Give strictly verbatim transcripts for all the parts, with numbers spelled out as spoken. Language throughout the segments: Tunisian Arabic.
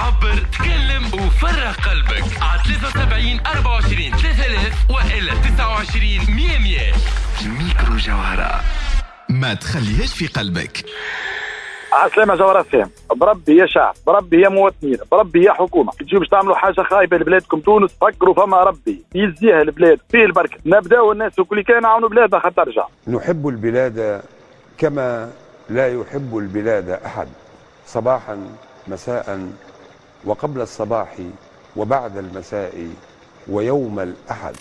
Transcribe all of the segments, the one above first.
عبر، تكلم وفرغ قلبك على ثلاثة وسبعين أربعة وعشرين ثلاثة آلاف وإلا تسعة وعشرين مية مية. ميكرو جوهرة، ما تخليهاش في قلبك. عسلامة جوهرة فهم. بربي يا شعب، بربي يا مواطنين، بربي يا حكومة، تجيو باش تعملوا حاجة خايبة لبلادكم تونس، فكروا فما ربي يزيها البلاد فيه البركة، نبداو الناس وكل كان عاونوا بلادنا خاطر ترجع. نحب البلاد كما لا يحب البلاد أحد، صباحا مساء وقبل الصباح وبعد المساء ويوم الأحد.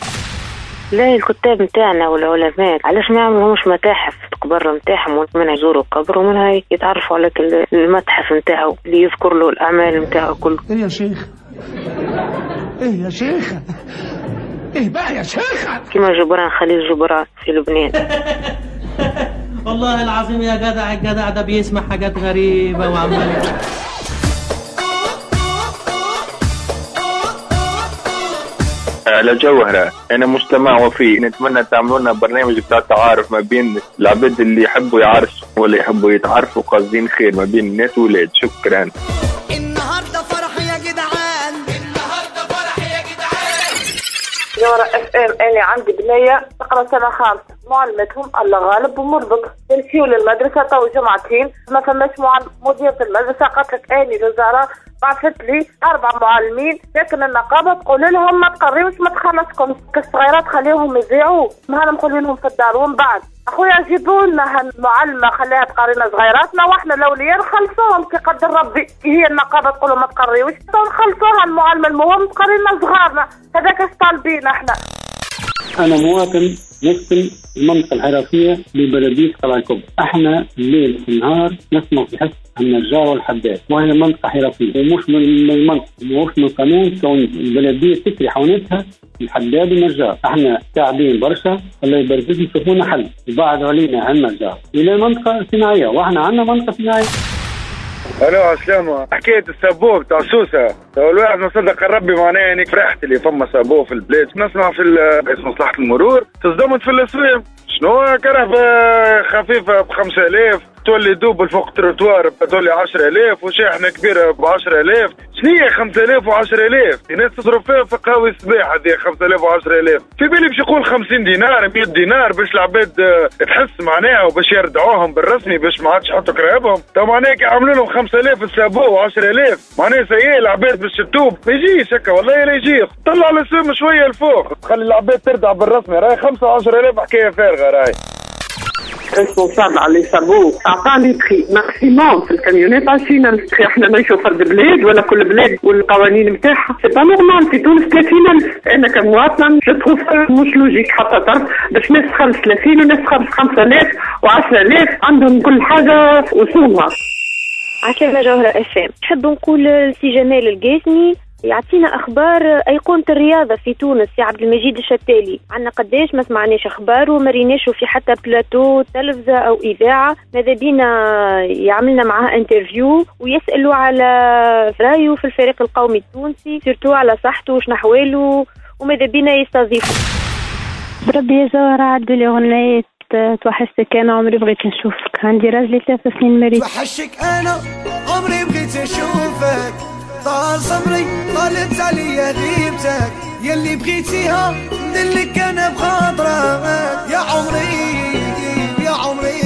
لا الكتاب نتاعنا والعلماء علاش ما يعملوهمش متاحف القبر نتاعهم، ومنها يزوروا القبر ومنها يتعرفوا على المتحف نتاعو اللي يذكر له الأعمال نتاعو كل. إيه يا شيخ، إيه يا شيخ، إيه بقى يا شيخ. كما جبران خليل جبران في لبنان. والله العظيم يا جدع، الجدع ده بيسمع حاجات غريبة وعمال. على جوهرة، أنا مجتمع وفي، نتمنى تعملونا برنامج بتاع تعارف ما بين العباد اللي يحبوا يعرسوا ولا يحبوا يتعرفوا، قاصدين خير ما بين الناس والولاد. شكرا. النهارده فرح يا جدعان، النهارده فرح يا جدعان. جوهرة اف ام، أنا عندي بنية تقرا سنة خامسة، معلمتهم الله غالب ومرضت، يمشيوا للمدرسة تو جمعتين ما فماش معلم. مديرة المدرسة قالت لك أني الوزارة بعثت لي أربع معلمين، لكن النقابة تقول لهم ما تقريوش ما تخلصكم، الصغيرات خليهم يضيعوا، ما نقول لهم في الدار. ومن بعد أخويا جيبوا لنا المعلمة خليها تقرينا صغيراتنا وإحنا الأولياء نخلصوهم كي قدر ربي. هي النقابة تقول لهم ما تقريوش نخلصوها المعلمة، المهم تقرينا صغارنا، هذاك اش طالبين احنا. أنا مواطن نسكن المنطقة الحرفية ببلدية قلعة الكبرى، احنا الليل والنهار نسمع في حس النجار والحداد، وهي منطقة حرفية ومش من المنطقة ومش من قانون كون البلدية تكري حوانتها الحداد والنجار، احنا تعبين برشا، الله يبارك فيكم شوفونا حل، وبعدوا علينا النجار إلى منطقة صناعية، واحنا عندنا منطقة صناعية. الو عسلامة، حكاية ال sabot بتاع سوسة، تو الواحد ما صدق ربي معناها، يعني فرحت اللي فما sabot في البلاد، نسمع في رئيس مصلحة المرور تصدمت في الاسوام، شنو كرهبة خفيفة ب خمسة آلاف تولي double فوق تروتوار تولي عشرة آلاف وشاحنة كبيرة ب عشرة آلاف، شنو هي خمسة آلاف و عشرة آلاف؟ الناس تصرف فيها في قهوة الصباح هذه خمسة آلاف و عشرة آلاف، في بالي باش يقول خمسين دينار مية دينار باش العباد تحس معناها وباش يردعوهم بالرسمي باش ما عادش يحطوا كراهبهم، تو معناها كي عملوا لهم خمسة آلاف ال sabot و عشرة آلاف معناها سيء العباد باش تتوب، ما يجيش هكا والله لا يجي، طلع السوم شوية لفوق، خلي العباد تردع بالرسمي، راهي خمسة و عشرة آلاف حكاية فارغة راهي. responsable على les sabots عطاني prix maximum في الكاميونات عشرين ألف. احنا نعيشوا فرد بلاد ولا كل بلاد والقوانين نتاعها، c'est pas normal. في تونس ثلاثين ألف، انا كمواطنه je trouve مش logique حتى طرف باش ناس تخلص ثلاثين وناس تخلص خمسة آلاف وعشرة آلاف، عندهم كل حاجة وسومها. عسلامة جوهرة اف ام، نحب نقول لسي جمال القاسمي يعطينا اخبار ايقونة الرياضة في تونس يا عبد المجيد الشتالي، عندنا قداش ما سمعناش اخباره وما ريناش في حتى بلاتو تلفزه او اذاعة، ماذا بينا يعملنا معاه interview ويسالوا على رايه في الفريق القومي التونسي، surtout على صحته وشنو احواله، وماذا بينا يستضيفه. بربي يا جوهرة عدوا لي اغنية توحشتك انا عمري بغيت نشوفك، عندي راجلي ثلاث سنين مريض. توحشتك انا عمري بغيت نشوفك، طال صبري طالت عليا غيبتك، يلي بغيتيها ندلك انا بخاطرك يا عمري يا عمري.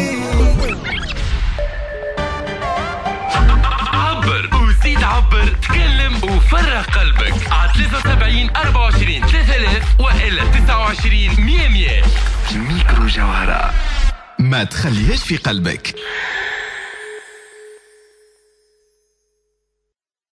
عبر وزيد عبر، تكلم وفرغ قلبك على ثلاثة وسبعين أربعة وعشرين ثلاثة آلاف وإلا تسعة وعشرين مية مية. ميكرو جوهرة، ما تخليهاش في قلبك.